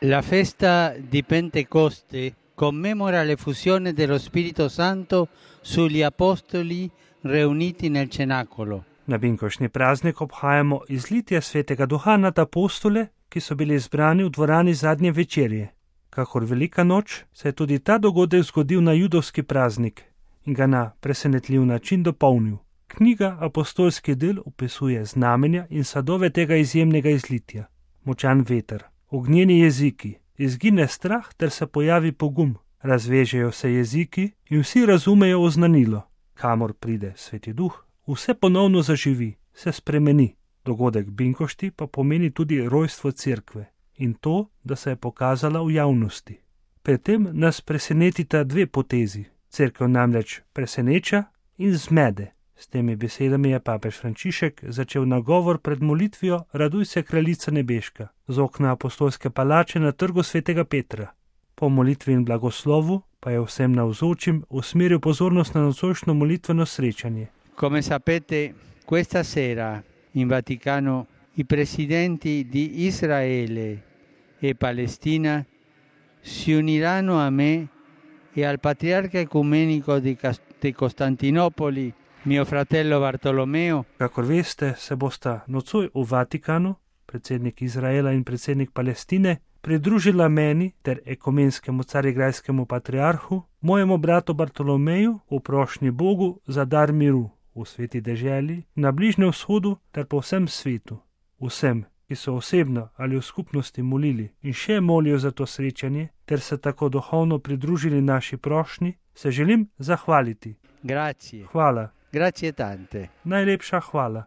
La festa di Pentecoste commemora l'effusione dello Spirito Santo sugli apostoli riuniti nel cenacolo. Na binkošnji praznik obhajamo izlitje svetega duha nad apostole, ki so bili izbrani v dvorani zadnje večerje. Kakor velika noč se je tudi ta dogodek zgodil na judovski praznik in ga na presenetljiv način dopolnil. Knjiga Apostolski del opisuje znamenja in sadove tega izjemnega izlitja. Močan veter, ognjeni jeziki, izgine strah ter se pojavi pogum. Razvežejo se jeziki in vsi razumejo oznanilo. Kamor pride Sveti Duh, vse ponovno zaživi, se spremeni. Dogodek binkošti pa pomeni tudi rojstvo cerkve in to, da se je pokazala v javnosti. Pri tem nas presenetita dve potezi. Cerkev namreč preseneča in zmede. S temi besedami je papež Frančišek začel nagovor pred molitvijo Raduj se, kraljica nebeška, z okna apostolske palače na trgu svetega Petra. Po molitvi in blagoslovu pa je vsem navzočim usmeril pozornost na nocojšnjo molitveno srečanje. Come sapete, questa sera in Vaticano i presidenti di Israele e Palestina si uniranno a me e al patriarca ecumenico di Costantinopoli, mio fratello Bartolomeo. Kakor veste, se bosta nocoj v Vatikanu, predsednik Izraela in predsednik Palestine, pridružila meni ter ekumenskemu carigrajskemu patriarhu, mojemu bratu Bartolomeju, v prošnji Bogu za dar miru v sveti deželi, na Bližnjem vzhodu ter po vsem svetu. Vsem, ki so osebno ali v skupnosti molili in še molijo za to srečanje, ter se tako duhovno pridružili naši prošnji, se želim zahvaliti. Grazie. Hvala. Grazie tante. Najlepša hvala.